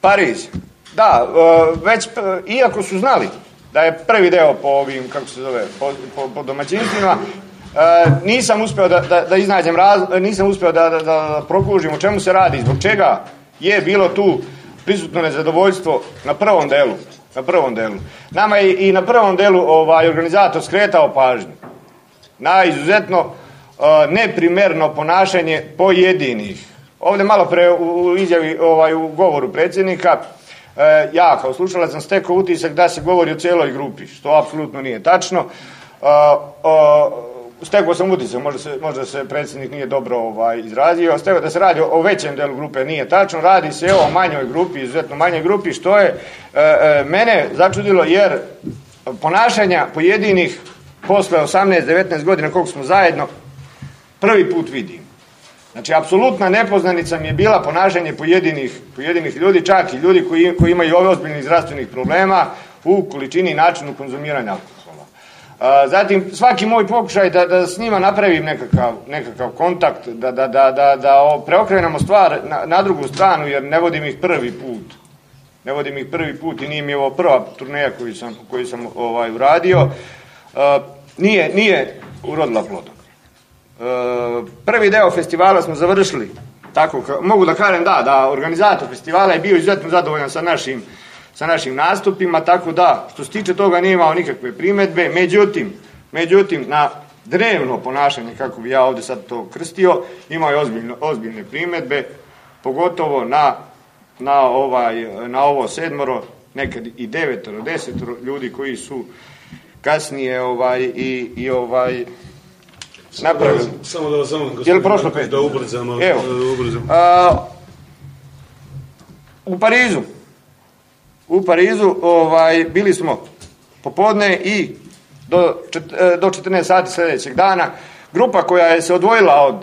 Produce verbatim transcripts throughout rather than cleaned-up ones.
Pariz. Da, već, iako su znali da je prvi deo po ovim, kako se zove, po, po, po domaćinstvima, nisam uspio da, da, da iznađem raz, nisam uspio da, da, da prokužim o čemu se radi, zbog čega je bilo tu prisutno nezadovoljstvo na prvom delu. Na prvom delu. Nama je i na prvom delu ovaj, organizator skretao pažnju na izuzetno uh, neprimerno ponašanje pojedinih. Ovdje malo pre u izjavi, ovaj, u govoru predsjednika, uh, ja kao slušalac sam stekao utisak da se govori o cijeloj grupi, što apsolutno nije tačno. Uh, uh, Stekao sam utisak, možda se, možda se predsjednik nije dobro ovaj, izrazio, stekao da se radi o, o većem delu grupe, nije tačno, radi se o manjoj grupi, izuzetno manjoj grupi, što je e, e, mene začudilo, jer ponašanja pojedinih posle osamnaest devetnaest godina koliko smo zajedno, prvi put vidim. Znači, apsolutna nepoznanica mi je bila ponašanje pojedinih, pojedinih ljudi, čak i ljudi koji, koji imaju ove ozbiljnih zdravstvenih problema u količini i načinu konzumiranja alkohola. Zatim, svaki moj pokušaj da, da s njima napravim nekakav, nekakav kontakt, da, da, da, da, da preokrenemo stvar na, na drugu stranu, jer ne vodim ih prvi put. Ne vodim ih prvi put i nije mi ovo prva turneja koju sam, koju sam ovaj, uradio. Nije, nije urodila plodom. Prvi deo festivala smo završili. Tako, mogu da kažem da, da organizator festivala je bio izuzetno zadovoljan sa našim sa našim nastupima, tako da, što se tiče toga nije imao nikakve primjedbe, međutim, međutim, na drevno ponašanje, kako bi ja ovdje sad to krstio, imao je ozbiljne, ozbiljne primjedbe, pogotovo na, na, ovaj, na ovo sedmoro, nekad i devetoro, desetoro ljudi koji su kasnije ovaj, i, i ovaj, napravili. Samo da vas zamolim, je li prošlo pet? Da ubrzam, ali Evo, da ubrzam. A, u Parizu, U Parizu ovaj, bili smo popodne i do, čet, do četrnaest sati sljedećeg dana. Grupa koja je se odvojila od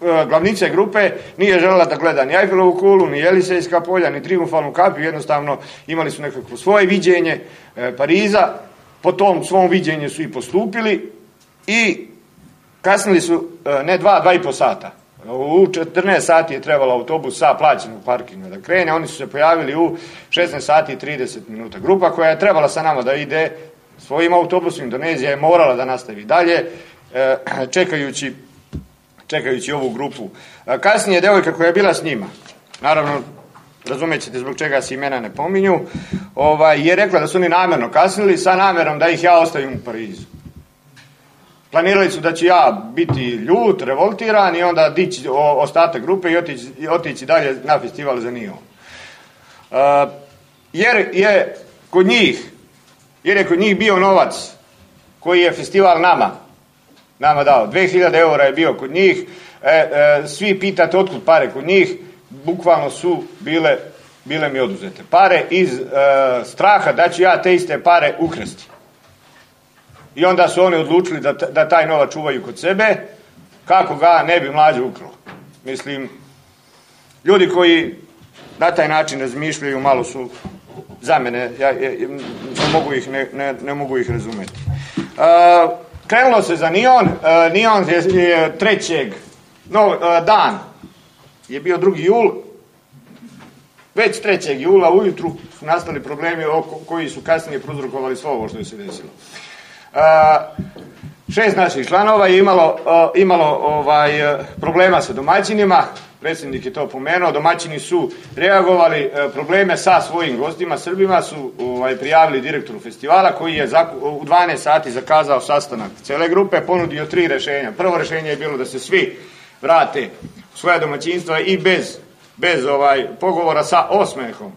e, glavnice grupe nije željela da gleda ni Eiffelovu kulu, ni Jelisejska polja, ni Trijumfalnu kapiju. Jednostavno imali su nekako svoje viđenje e, Pariza. Po tom svom viđenju su i postupili i kasnili su e, ne dva, dva i po sata. U četrnaest sati je trebalo autobus sa plaćenog parkinga da krene, oni su se pojavili u šesnaest sati i trideset minuta. Grupa koja je trebala sa nama da ide svojim autobusom, Indonezija je morala da nastavi dalje, čekajući, čekajući ovu grupu. Kasnije devojka koja je bila s njima, naravno, razumećete zbog čega se imena ne pominju, ovaj, je rekla da su oni namjerno kasnili sa namjerom da ih ja ostavim u Parizu. Planirali su da će ja biti ljut, revoltiran i onda dići ostatak grupe i otići, i otići dalje na festival za Nion. Uh, jer je kod njih, jer je kod njih bio novac koji je festival nama, nama dao. dve hiljade eura je bio kod njih. E, e, svi pitate otkud pare kod njih, bukvalno su bile, bile mi oduzete. Pare iz e, straha da ću ja te iste pare ukrsti. I onda su oni odlučili da, da taj novac čuvaju kod sebe, kako ga ne bi mlađe ukrao. Mislim, ljudi koji na taj način razmišljaju malo su za mene, ja, ja, ja mogu ih, ne, ne, ne mogu ih razumjeti. Uh, krenulo se za Nion, uh, Nion je, je trećeg no, uh, dan, je bio drugi jul, već trećeg jula ujutru su nastali problemi oko, koji su kasnije prouzrokovali sve ovo što je se desilo. Uh, šest naših članova je imalo, uh, imalo ovaj, uh, problema sa domaćinima, predsjednik je to pomenuo, domaćini su reagovali, uh, probleme sa svojim gostima, Srbima su ovaj, prijavili direktoru festivala koji je zaku, u dvanaest sati zakazao sastanak cele grupe, ponudio tri rešenja. Prvo rešenje je bilo da se svi vrate u svoja domaćinstva i bez, bez ovaj, pogovora sa osmehom,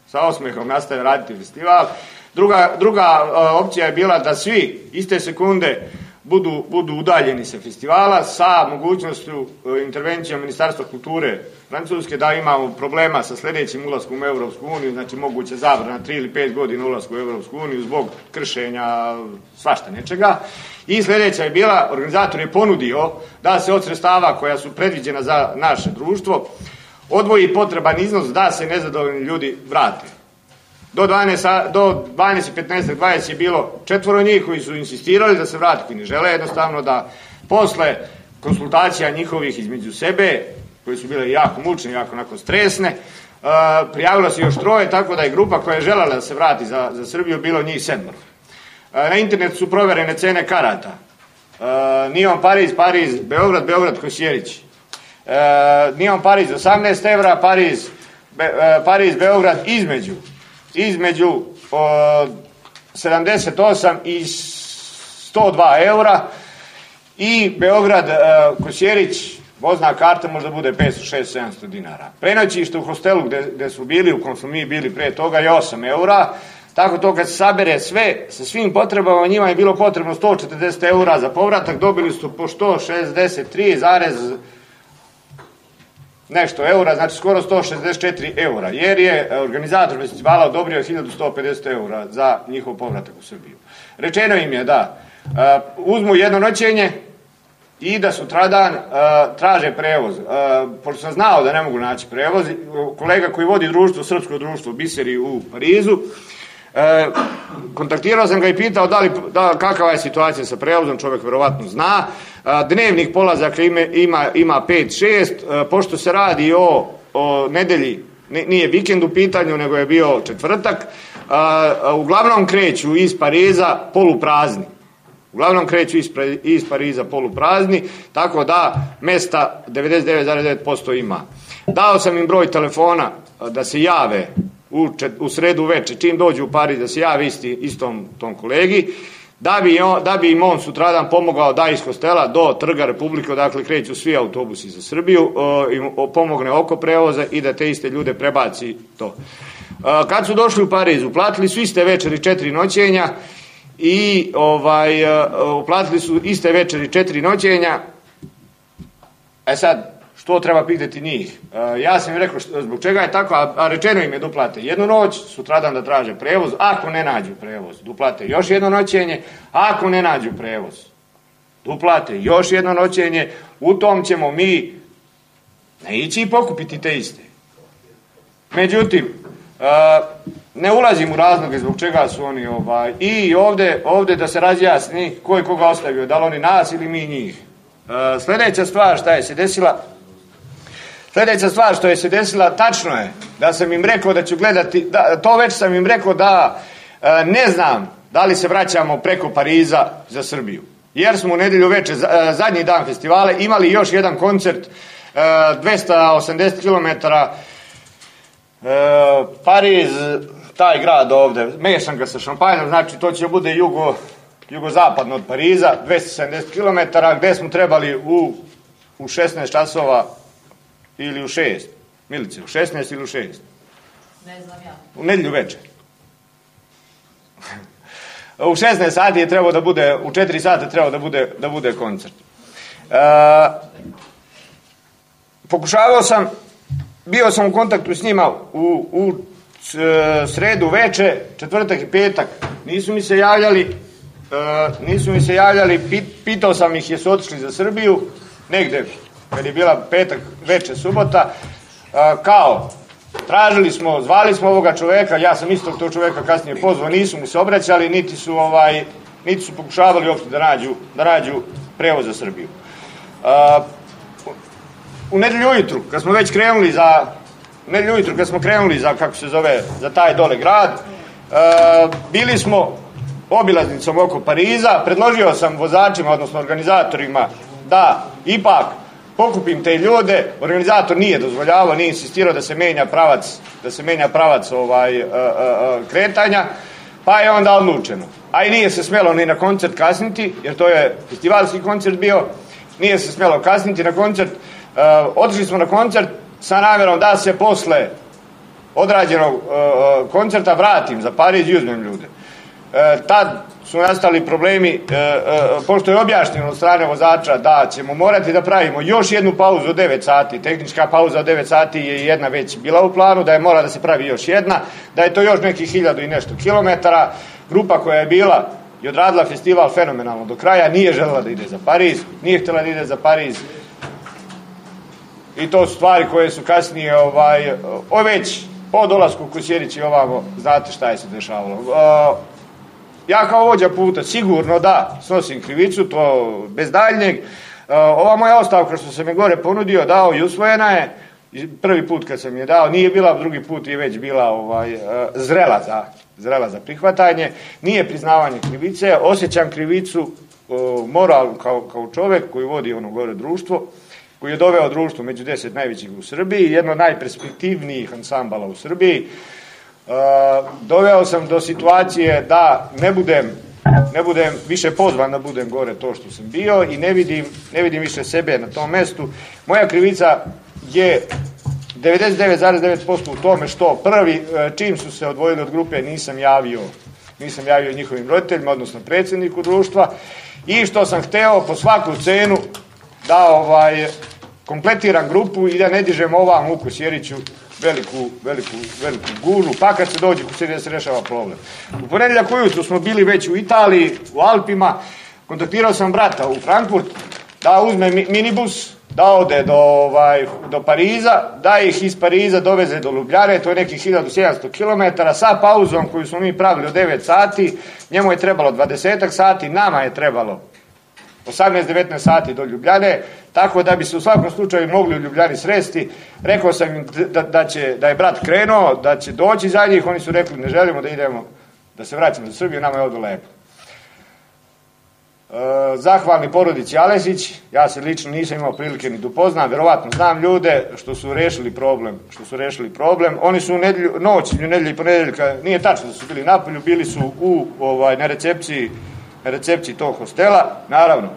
sa osmehom nastave raditi festival. Druga, druga uh, opcija je bila da svi iste sekunde budu, budu udaljeni sa festivala sa mogućnošću uh, intervencijom Ministarstva kulture Francuske da imamo problema sa sljedećim ulaskom u Europsku uniju, znači moguće zabrana tri ili pet godina ulasku u Europsku uniju zbog kršenja svašta nečega. I sljedeća je bila, organizator je ponudio da se od sredstava koja su predviđena za naše društvo odvoji potreban iznos da se nezadovoljni ljudi vrate. Do dvanaest, do dvanaest i petnaest, dvadeset je bilo četvoro njih koji su insistirali da se vrati, koji ne žele jednostavno da posle konsultacija njihovih između sebe, koje su bile jako mučne, jako onako stresne, prijavilo se još troje, tako da je grupa koja je željela da se vrati za, za Srbiju bilo njih sedmoro. Na internetu su provjerene cene karata. Nion Pariz, Pariz, Beograd, Beograd, Kosjerić. Nion Pariz osamnaest evra, Pariz, Be, Pariz, Beograd između, između o, sedamdeset osam i sto dva eura i Beograd, Kosjerić, vozna karta možda bude petsto, šesto, sedamsto dinara. Prenoćište u hostelu gde, gde su bili, u kom smo mi bili prije toga, je osam eura. Tako to kad se sabere sve, sa svim potrebama, njima je bilo potrebno sto četrdeset eura za povratak, dobili su po sto šezdeset tri zarez nešto eura, znači skoro sto šezdeset četiri eura, jer je organizator festivala odobrio hiljadu sto pedeset eura za njihov povratak u Srbiju. Rečeno im je da uh, uzmu jedno noćenje i da sutradan uh, traže prevoz. Uh, pošto sam znao da ne mogu naći prevoz, kolega koji vodi društvo, srpsko društvo Biseri u Parizu, E, kontaktirao sam ga i pitao da li, da, kakava je situacija sa prevozom, čovjek verovatno zna. E, dnevnih polazaka ima, ima, ima pet šest, e, pošto se radi o, o nedelji, nije vikend u pitanju, nego je bio četvrtak, e, uglavnom kreću iz Pariza poluprazni. Uglavnom kreću iz, iz Pariza poluprazni, tako da mesta devedeset devet zarez devet posto ima. Dao sam im broj telefona da se jave U, čet, u sredu veče, čim dođu u Pariz, da se javi isti, istom tom kolegi, da bi, on, da bi im on sutradan pomogao da iz hostela do Trga Republike, odakle kreću svi autobusi za Srbiju, o, im o, pomogne oko prevoza i da te iste ljude prebaci to. O, kad su došli u Pariz, uplatili su iste večeri četiri noćenja i ovaj, uplatili su iste večeri četiri noćenja. E sad, što treba pitati njih? E, ja sam im rekao što, zbog čega je tako, a, a rečeno im je duplate jednu noć, sutradan da traže prevoz, ako ne nađu prevoz, duplate još jedno noćenje, ako ne nađu prevoz, duplate još jedno noćenje, u tom ćemo mi ne ići i pokupiti te iste. Međutim, e, ne ulazim u razloge zbog čega su oni ovaj, i ovde, ovde da se razjasni ko je koga ostavio, da li oni nas ili mi njih. E, sljedeća stvar šta je se desila, Sljedeća stvar što je se desila, tačno je da sam im rekao da ću gledati, da, to već sam im rekao da e, ne znam da li se vraćamo preko Pariza za Srbiju. Jer smo u nedjelju veče, e, zadnji dan festivala, imali još jedan koncert, e, dvesta osamdeset kilometara, e, Pariz, taj grad ovde, mešam ga sa Šampanjom, znači to će bude jugo, jugozapadno od Pariza, dvesta sedamdeset kilometara, gde smo trebali u, u šesnaest časova ili u šest, Milice, u šesnaest ili u šest? Ne znam ja. U nedjelju večer. U šesnaest sati je trebao da bude, u četiri sata trebao da bude, da bude koncert. E, pokušavao sam, bio sam u kontaktu s njima u, u sredu veče, četvrtak i petak, nisu mi se javljali, e, nisu mi se javljali, pit, pitao sam ih jesu otišli za Srbiju, negde, kad je bila petak, veče, subota, kao, tražili smo, zvali smo ovoga čoveka, ja sam istog tog čoveka kasnije pozvao, nisu mu se obraćali, niti su, ovaj, niti su pokušavali uopšte da nađu, da nađu prevoz za Srbiju. U nedelju ujutru, kad smo već krenuli za, u nedelju ujutru, kad smo krenuli za, kako se zove, za taj dole grad, bili smo obilaznicom oko Pariza, predložio sam vozačima, odnosno organizatorima, da ipak pokupim te ljude, organizator nije dozvoljavao, nije insistirao da se menja pravac, da se menja pravac ovaj, uh, uh, kretanja, pa je onda odlučeno. A i nije se smjelo ni na koncert kasniti, jer to je festivalski koncert bio, nije se smjelo kasniti na koncert. Uh, otišli smo na koncert sa namjerom da se posle odrađenog uh, koncerta vratim za Pariz i uzmem ljude. Uh, tad su nastali problemi, e, e, pošto je objašnjeno od strane vozača da ćemo morati da pravimo još jednu pauzu od devet sati, tehnička pauza od devet sati je jedna već bila u planu, da je mora da se pravi još jedna, da je to još nekih hiljadu i nešto kilometara. Grupa koja je bila i odradila festival fenomenalno do kraja, nije želela da ide za Pariz, nije htjela da ide za Pariz. I to su stvari koje su kasnije, ovaj, o već po dolasku u Kosjerić i ovamo, znate šta je se dešavalo. Uh, Ja kao vođa puta sigurno da snosim krivicu, to bez daljnjeg. Ova moja ostavka što sam je gore ponudio, dao i usvojena je, prvi put kad sam je dao, nije bila, drugi put je već bila ovaj, zrela, za, zrela za prihvatanje, nije priznavanje krivice, osjećam krivicu, moral kao, kao čovjek koji vodi ono gore društvo, koji je doveo društvo među deset najvećih u Srbiji, jedno od najperspektivnijih ansambala u Srbiji. Doveo sam do situacije da ne budem, ne budem više pozvan da budem gore to što sam bio i ne vidim, ne vidim više sebe na tom mestu. Moja krivica je devedeset devet zarez devet posto u tome što prvi, čim su se odvojili od grupe, nisam javio, nisam javio njihovim roditeljima, odnosno predsjedniku društva, i što sam hteo po svaku cenu da ovaj, kompletiram grupu i da ne dižem ovam u Kosjeriću veliku, veliku, veliku gužu, pa kad se dođe Kosjerić da se rešava problem. U ponedjeljak ujutru smo bili već u Italiji, u Alpima, kontaktirao sam brata u Frankfurt da uzme minibus, da ode do, ovaj, do Pariza, da ih iz Pariza doveze do Ljubljane, to je nekih hiljadu sedamsto kilometara, sa pauzom koju smo mi pravili od devet sati, njemu je trebalo dvadeset sati, nama je trebalo osamnaest devetnaest sati do Ljubljane, tako da bi se u svakom slučaju mogli u Ljubljani sresti. Rekao sam im da, da, će, da je brat krenuo, da će doći za njih, oni su rekli ne želimo da idemo, da se vraćamo za Srbiju, nama je ovdje lepo. E, zahvalni porodici Aleksić, ja se lično nisam imao prilike ni da upoznam, verovatno znam ljude što su rešili problem, što su rešili problem. Oni su u nedjelju, noć, u nedjelju i ponedeljka, nije tačno da su bili napolju, bili su u, ovaj, na recepciji na recepciji tog hostela, naravno,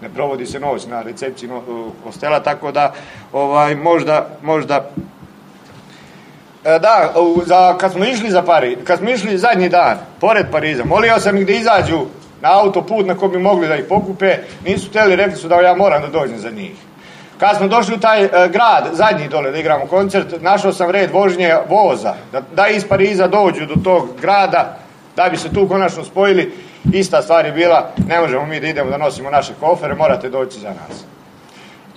ne provodi se noć na recepciji no, hostela, tako da ovaj, možda, možda e, da, za, kad smo išli za Pariz, kad smo išli zadnji dan, pored Pariza, molio sam ih da izađu na autoput na koji bi mogli da ih pokupe, nisu htjeli, rekli su da ja moram da dođem za njih. Kad smo došli u taj e, grad, zadnji dole da igramo koncert, našao sam red vožnje voza, da, da iz Pariza dođu do tog grada, da bi se tu konačno spojili. Ista stvar je bila, ne možemo mi da idemo da nosimo naše kofere, morate doći za nas.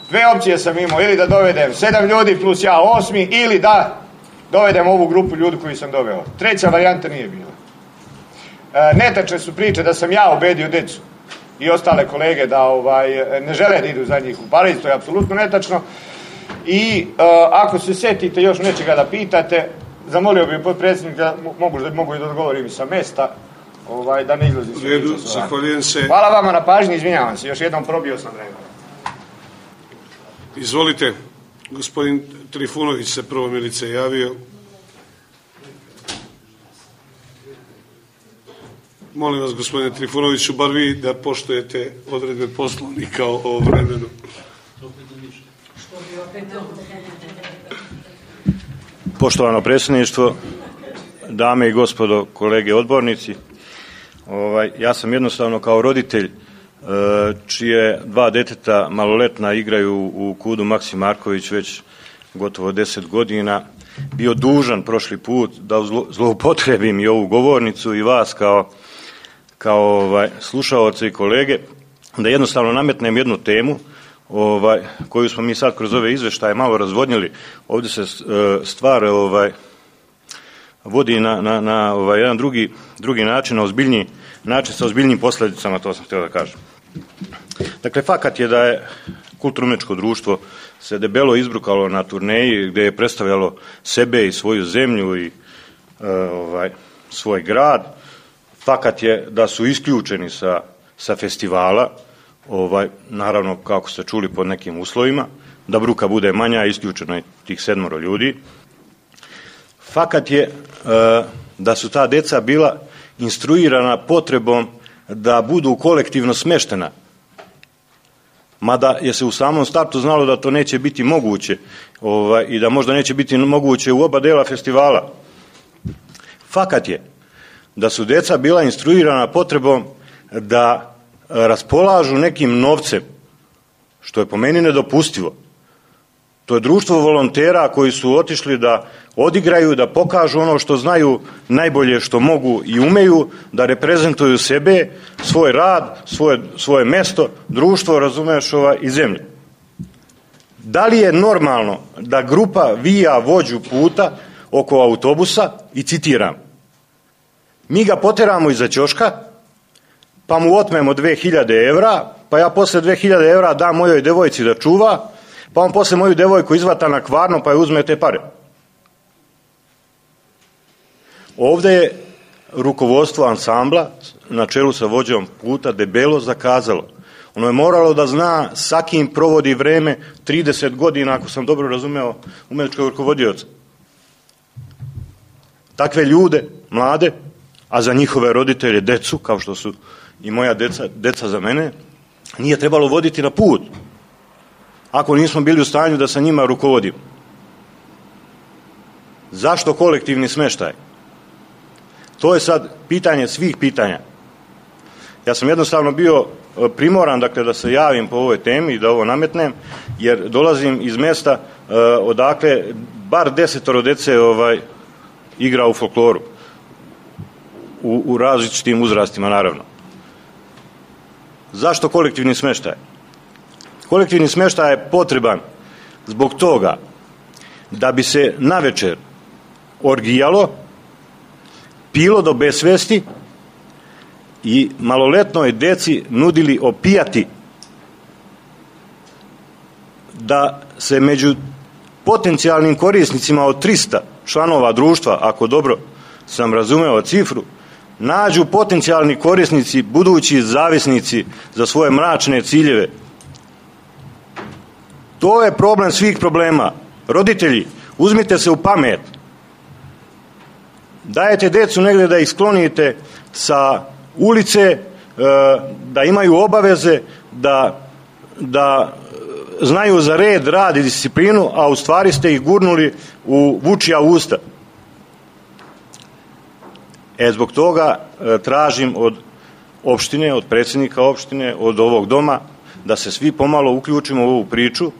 Dve opcije sam imao, ili da dovedem sedam ljudi plus ja osmi, ili da dovedem ovu grupu ljudi koju sam doveo. Treća varijanta nije bila. E, netačne su priče da sam ja ubedio decu i ostale kolege da ovaj, ne žele da idu za njih u Pariz, to je apsolutno netačno. I e, ako se setite još nečega da pitate, zamolio bih potpredsjednika, mogu da mogu i da odgovorim i sa mesta, ovaj, da ne izlazim se. Redu, zahvaljujem se. Hvala vama na pažnji, izvinjavam se, još jednom probio sam vremena. Izvolite, gospodin Trifunović se prvo Milice javio. Molim vas, gospodine Trifunoviću, bar vi da poštujete odredbe Poslovnika o vremenu. Poštovano predsjedništvo, dame i gospodo, kolege odbornici, ovaj, ja sam jednostavno kao roditelj e, čije dva deteta maloletna igraju u Kudu Maksi Marković već gotovo deset godina, bio dužan prošli put da zlo, zloupotrebim i ovu govornicu i vas kao, kao ovaj, slušaoce i kolege, da jednostavno nametnem jednu temu ovaj, koju smo mi sad kroz ove izveštaje malo razvodnjili. Ovdje se e, stvar ovaj, vodi na, na, na ovaj, jedan drugi, drugi način, na ozbiljniji način sa ozbiljnim posljedicama, to sam htio da kažem. Dakle, fakat je da je kulturno-umjetničko društvo se debelo izbrukalo na turneji gdje je predstavljalo sebe i svoju zemlju i e, ovaj, svoj grad. Fakat je da su isključeni sa, sa festivala, ovaj, naravno kako ste čuli pod nekim uslovima, da bruka bude manja, isključeno je tih sedmoro ljudi. Fakat je e, da su ta deca bila instruirana potrebom da budu kolektivno smeštena, mada je se u samom startu znalo da to neće biti moguće ovaj, i da možda neće biti moguće u oba dela festivala. Fakat je da su deca bila instruirana potrebom da raspolažu nekim novcem, što je po meni nedopustivo. To je društvo volontera koji su otišli da odigraju, da pokažu ono što znaju najbolje što mogu i umeju, da reprezentuju sebe, svoj rad, svoje, svoje mesto, društvo, razumeš, ova, i zemlju. Da li je normalno da grupa vija vođu puta oko autobusa i citiram, mi ga poteramo iza ćoška, pa mu otmemo dve hiljade evra, pa ja posle dve hiljade evra dam mojoj devojci da čuva, Pa on posle moju devojku izvata na Kvarno pa je uzme te pare. Ovdje je rukovodstvo ansambla na čelu sa vođom puta debelo zakazalo. Ono je moralo da zna sa kim provodi vreme trideset godina, ako sam dobro razumeo, umetničkog rukovodioca. Takve ljude, mlade, a za njihove roditelje decu, kao što su i moja deca, deca za mene, nije trebalo voditi na put, ako nismo bili u stanju da sa njima rukovodimo. Zašto kolektivni smeštaj? To je sad pitanje svih pitanja. Ja sam jednostavno bio primoran, dakle, da se javim po ovoj temi i da ovo nametnem, jer dolazim iz mesta uh, odakle bar desetoro dece ovaj, igra u folkloru. U, u različitim uzrastima, naravno. Zašto kolektivni smeštaj? Kolektivni smeštaj je potreban zbog toga da bi se navečer orgijalo, pilo do besvesti i maloletnoj deci nudili opijati, da se među potencijalnim korisnicima od trista članova društva, ako dobro sam razumeo cifru, nađu potencijalni korisnici, budući zavisnici za svoje mračne ciljeve. To je problem svih problema. Roditelji, uzmite se u pamet. Dajete decu negdje da ih sklonite sa ulice, da imaju obaveze, da, da znaju za red, rad i disciplinu, a u stvari ste ih gurnuli u vučija usta. E, zbog toga tražim od opštine, od predsjednika opštine, od ovog doma, da se svi pomalo uključimo u ovu priču,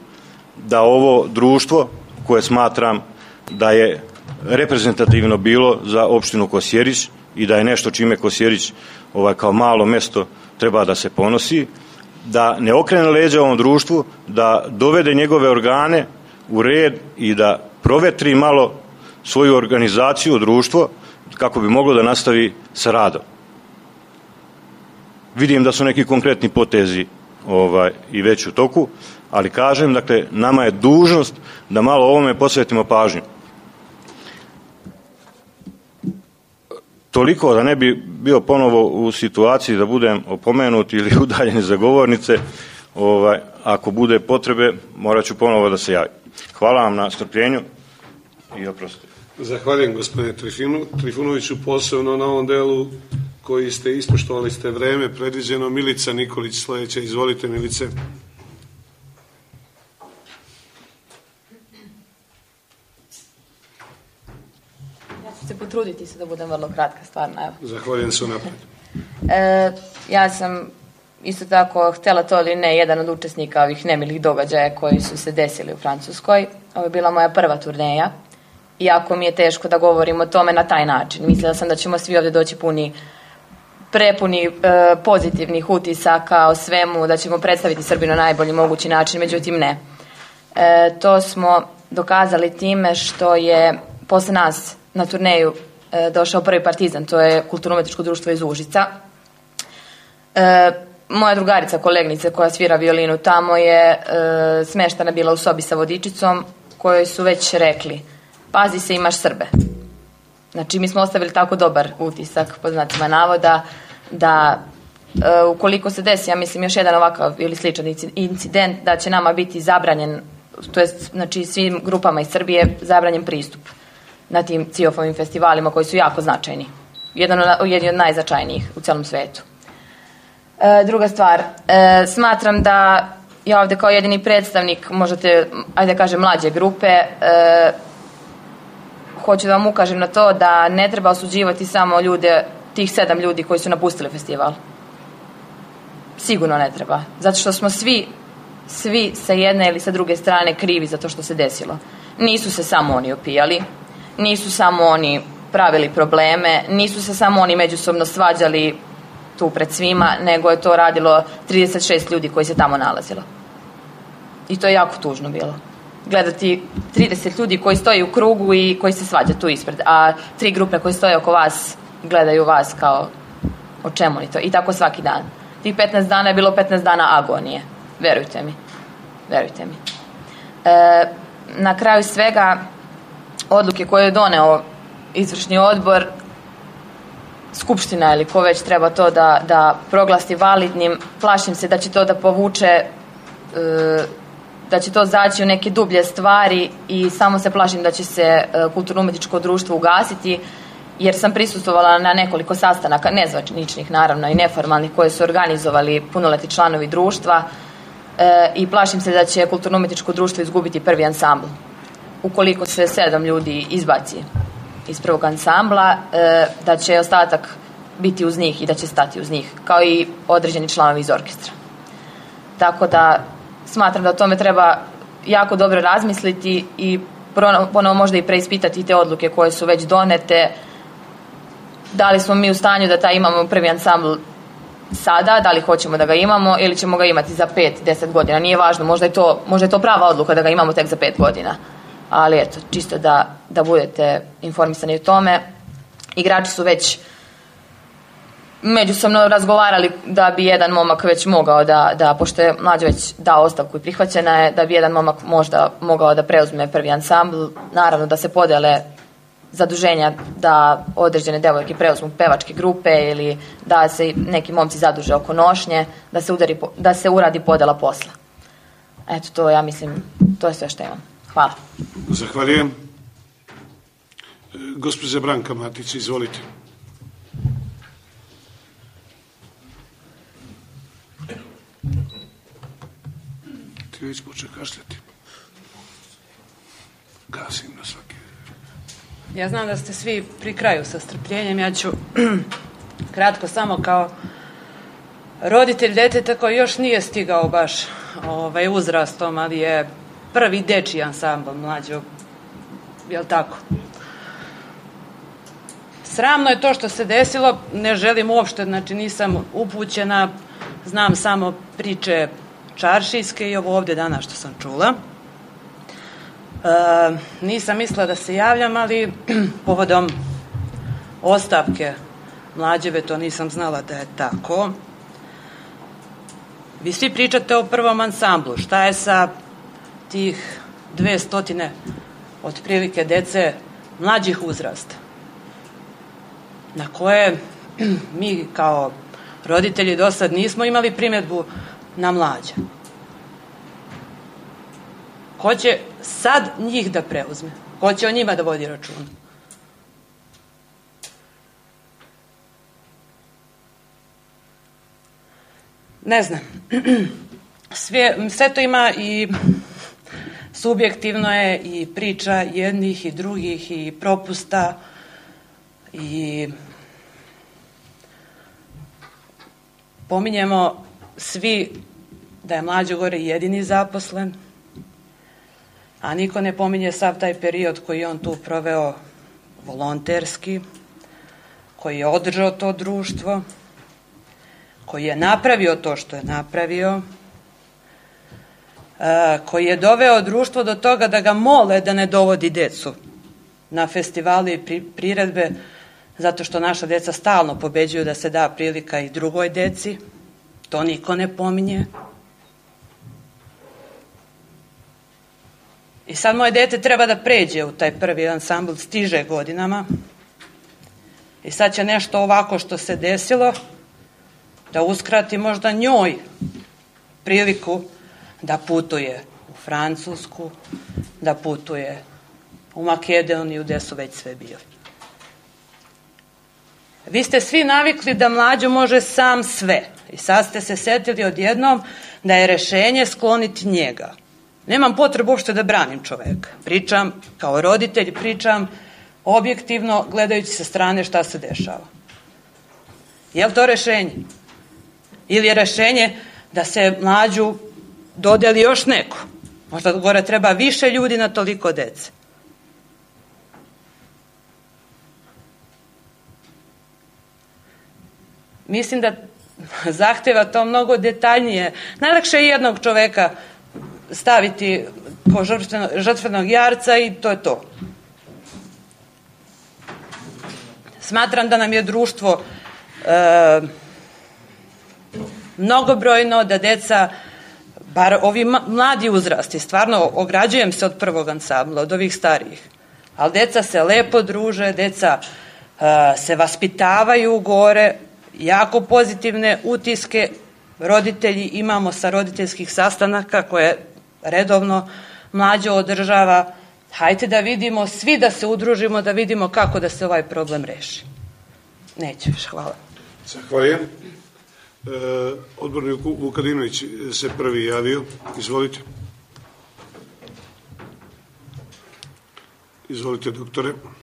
da ovo društvo, koje smatram da je reprezentativno bilo za opštinu Kosjerić i da je nešto čime Kosjerić ovaj, kao malo mesto treba da se ponosi, da ne okrene leđa ovom društvu, da dovede njegove organe u red i da provetri malo svoju organizaciju, društvo, kako bi moglo da nastavi sa radom. Vidim da su neki konkretni potezi ovaj, i već u toku, ali kažem, dakle, nama je dužnost da malo ovome posvetimo pažnju. Toliko da ne bi bio ponovo u situaciji da budem opomenut ili udaljen za govornice, ovaj, ako bude potrebe, morat ću ponovo da se javim. Hvala vam na strpljenju i oprostite. Zahvaljujem, gospodine Trifunoviću, posebno na ovom delu koji ste ispoštovali ste vreme predviđeno. Milica Nikolić sledeća. Izvolite, Milice. Ja ću se potruditi se da budem vrlo kratka, stvarno. Evo. Zahvaljujem se unapred. E, ja sam isto tako htjela to ili ne, jedan od učesnika ovih nemilih događaja koji su se desili u Francuskoj. Ovo je bila moja prva turneja. Iako mi je teško da govorim o tome na taj način. Mislila sam da ćemo svi ovdje doći puni, prepuni e, pozitivnih utisaka o svemu, da ćemo predstaviti Srbiju na najbolji mogući način, međutim ne. E, to smo dokazali time što je posle nas na turneju e, došao prvi Partizan, to je kulturno-umetničko društvo iz Užica. E, moja drugarica, kolegnica koja svira violinu tamo je e, smeštana bila u sobi sa vodičicom, kojoj su već rekli: pazi se, imaš Srbe. Znači, mi smo ostavili tako dobar utisak, po znacima navoda, da e, ukoliko se desi, ja mislim, još jedan ovakav ili sličan incident, da će nama biti zabranjen, to je, znači, svim grupama iz Srbije zabranjen pristup na tim ciofovim festivalima koji su jako značajni. Jedan od, jedan od najznačajnijih u celom svetu. E, druga stvar, e, smatram da ja ovde kao jedini predstavnik, možete, ajde da kažem, mlađe grupe, e, hoću da vam ukažem na to da ne treba osuđivati samo ljude, tih sedam ljudi koji su napustili festival. Sigurno ne treba. Zato što smo svi, svi sa jedne ili sa druge strane krivi za to što se desilo. Nisu se samo oni opijali, nisu samo oni pravili probleme, nisu se samo oni međusobno svađali tu pred svima, nego je to radilo trideset šest ljudi koji se tamo nalazilo. I to je jako tužno bilo. Gledati trideset ljudi koji stoji u krugu i koji se svađa tu ispred, a tri grupe koje stoje oko vas gledaju vas kao o čemu li to. I tako svaki dan. Tih petnaest dana je bilo petnaest dana agonije. Verujte mi. Verujte mi. E, na kraju svega, odluke koje je doneo izvršni odbor, skupština ili ko već treba to da, da proglasi validnim, plašim se da će to da povuče, e, da će to zaći u neke dublje stvari i samo se plašim da će se e, kulturno-umetničko društvo ugasiti, jer sam prisustvovala na nekoliko sastanaka, nezvaničnih naravno i neformalnih, koje su organizovali punoletni članovi društva, e, i plašim se da će kulturno-umetničko društvo izgubiti prvi ansambl. Ukoliko se sedam ljudi izbaci iz prvog ansambla, e, da će ostatak biti uz njih i da će stati uz njih, kao i određeni članovi iz orkestra. Tako da smatram da o tome treba jako dobro razmisliti i ponovo možda i preispitati te odluke koje su već donete. Da li smo mi u stanju da taj imamo prvi ansambl sada, da li hoćemo da ga imamo ili ćemo ga imati za pet, deset godina. Nije važno, možda je to, možda je to prava odluka da ga imamo tek za pet godina. Ali eto, čisto da, da budete informisani o tome. Igrači su već međusobno razgovarali da bi jedan momak već mogao da, da pošto je Mlađa već dao ostavku i prihvaćena je, da bi jedan momak možda mogao da preuzme prvi ansambl. Naravno da se podele zaduženja, da određene devojke preuzmu pevačke grupe ili da se neki momci zaduže oko nošnje, da se, udari, da se uradi podela posla. Eto, to ja mislim, to je sve što imam. Hvala. Zahvaljujem. Gospođa Branka Matić, izvolite. Ti već počne kašljati. Gasim na svaki. Ja znam da ste svi pri kraju sa strpljenjem. Ja ću kratko samo kao roditelj deteta koji još nije stigao baš ovaj, uzrastom, ali je prvi dečiji ansambl Mlađo, jel tako? Sramno je to što se desilo, ne želim uopšte, znači nisam upućena, znam samo priče čaršijske i ovo ovde danas što sam čula. E, nisam mislila da se javljam, ali povodom ostavke Mlađeve, to nisam znala da je tako. Vi svi pričate o prvom ansamblu, šta je sa tih dve stotine otprilike dece mlađih uzrasta, na koje mi kao roditelji do sad nismo imali primjedbu na Mlađe. Ko će sad njih da preuzme? Ko će o njima da vodi računa? Ne znam. Sve, sve to ima i subjektivno je i priča jednih i drugih i propusta i pominjemo svi da je Mlađo Gore jedini zaposlen, a niko ne pominje sav taj period koji je on tu proveo volonterski, koji je održao to društvo, koji je napravio to što je napravio, koji je doveo društvo do toga da ga mole da ne dovodi decu na festivali i priredbe, zato što naša deca stalno pobeđuju da se da prilika i drugoj deci. To niko ne pominje. I sad moje dete treba da pređe u taj prvi ansambl, stiže godinama. I sad će nešto ovako što se desilo da uskrati možda njoj priliku da putuje u Francusku, da putuje u Makedoniju, gde su već sve bili. Vi ste svi navikli da Mlađo može sam sve. I sad ste se setili odjednom da je rešenje skloniti njega. Nemam potrebu uopšte da branim čoveka. Pričam kao roditelj, pričam objektivno, gledajući sa strane šta se dešava. Je li to rešenje? Ili je rešenje da se Mlađu dodeli još neko? Možda gore treba više ljudi na toliko dece. Mislim da zahteva to mnogo detaljnije. Najlakše je jednog čoveka staviti kao žrtvenog jarca i to je to. Smatram da nam je društvo e, mnogobrojno, da deca bar ovi mladi uzrasti, stvarno ograđujem se od prvog ansambla, od ovih starijih, ali deca se lepo druže, deca uh, se vaspitavaju gore, jako pozitivne utiske roditelji imamo sa roditeljskih sastanaka koje redovno Mlađo održava. Hajde da vidimo, svi da se udružimo, da vidimo kako da se ovaj problem reši. Neću više, hvala. Zahvaljujem. E, odbornik Vukadinović se prvi javio. Izvolite. Izvolite, doktore.